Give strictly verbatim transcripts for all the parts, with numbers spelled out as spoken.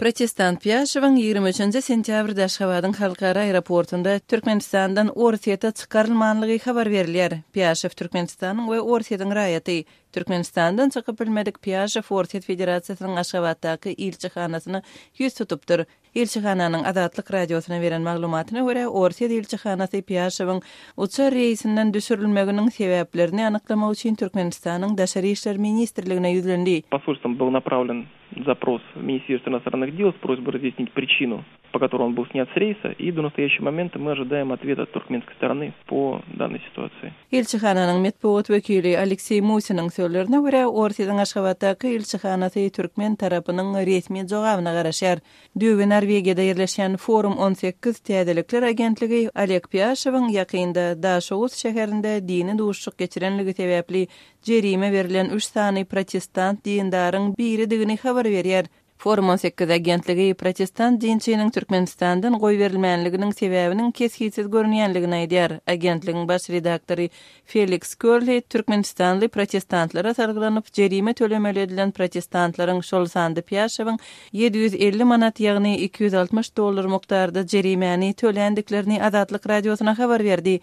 Protestant Piyashev'in yigirme üçünçü sentyabrda Aşgabat'ın halkara aeroportunda Türkmenistan'dan Orsiyete çıkarılmanlığı haber verilýär. Piyashev Türkmenistan'ın we Orsiýetin raýaty. Türkmenistan'dan çykyp bilmedik Piyashev Orsiýet Federatsiýasynyň Aşgabatdaky ilçihanasyny ýüz tutupdyr. İlçihananyň Adatlyk radiosuna beren maglumatyna görä, Orsiýet ilçihanasy Piyashev'in uçar reýsinden düşürilmeginiň sebäplerini anyklamak üçin Türkmenistanyň Daşary işler ministrligine ýüzlendi. Посольством был направлен запрос в Министерство иностранных дел с просьбой разъяснить причину, по которой он был снят с рейса, и до настоящего момента мы ожидаем ответа от туркменской стороны по данной ситуации. İlçihananyň metbuat wekili Aleksey Musynyň sözlerine görä, Orsiýetiň Aşgabatdaky ilçihanasy türkmen tarapynyň resmi jogabyna garaşýar. Düýbe Norwegiýada ýerleşen Forum on sekiz Täzelikler agentligi Oleg Piyasheviň ýakynda Daşowuz şäherinde dini duşluk geçirenligi sebäpli jerime berilen üç sany protestant dindaryň biri digini habar berýär. Forum on sekiz agentligi protestant dinçiniň Türkmenistandan goý berilmänliginiň sebäbiniň keskinsiz görünýänligini aýdýar. Agentligiň baş redaktory Felix Körli Türkmenistanly protestantlara sargylanyp jerime tölemeli edilen protestantlaryň şol sandy Piyasheviň yedi yüz elli manat ýagny iki yüz altmış dollar mukdarda jerimeni tölendiklerini Adatlyk radiosuna habar berdi.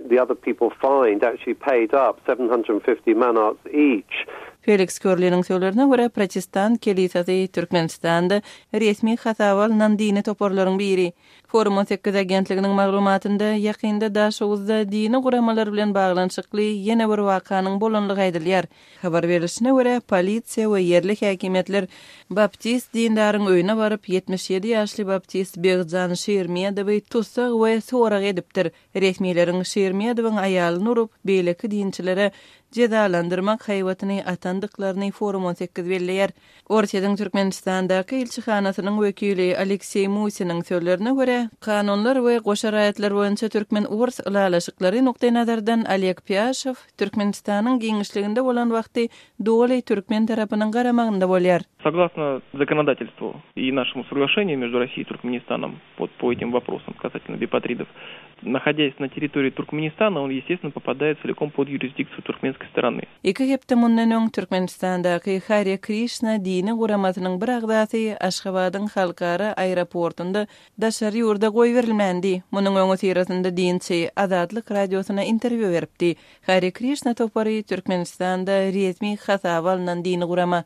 The other people fined actually paid up seven hundred fifty manats each. Felix Körli'nin sözlerine görä protestant kilisasy Türkmenistanda resmi hasawal dini toporlaryň biri. Forum on sekiz agentliginiň maglumatynda ýakynda Daşowuzda dini guramalar bilen baglanyşykly ýene bir wakanyň bolanlygy aýdylýar. Habar berilişine görä polisiýa we ýerlik häkimetler baptist dindaryň öýüne baryp yetmiş ýedi ýaşly baptist Begzan Şermiýedowy tutsak we sorak edipdir. Resmiýetiň Şermiýedowyň aýalyny urup beýleki dinçilere cezalandyrmak haýwatyny atandyklaryny Forum on sekiz belleýär. Orsiýetiň Türkmenistandaky ilçihanasynyň wekili Aleksey Musynyň sözlerine görä, kanunlar we goşa raýatlar boýunça türkmen urs ulalaşyklary nokta nazardan Oleg Piyashev Türkmenistanyň giňişliginde bolan wagty doly türkmen tarapynyň garamagynda bolýar. Согласно законодательству и нашему соглашению между Россией и Туркменистаном по, по этим вопросам касательно бипатридов, находясь на территории Туркменистана, он, естественно, попадает целиком под юрисдикцию туркменской стороны. Iki hepde mundan öň Türkmenistandaky Hare Krishna dini guramasynyň bir agdasy Aşgabatyň halkara aeroportunda daşary ýurda goý berilmändi. Munyň öňü sirasynda dinçi Adatlyk radiosuna interwiu beripdi. Hare Krishna topary Türkmenistanda resmi hasawal dini gurama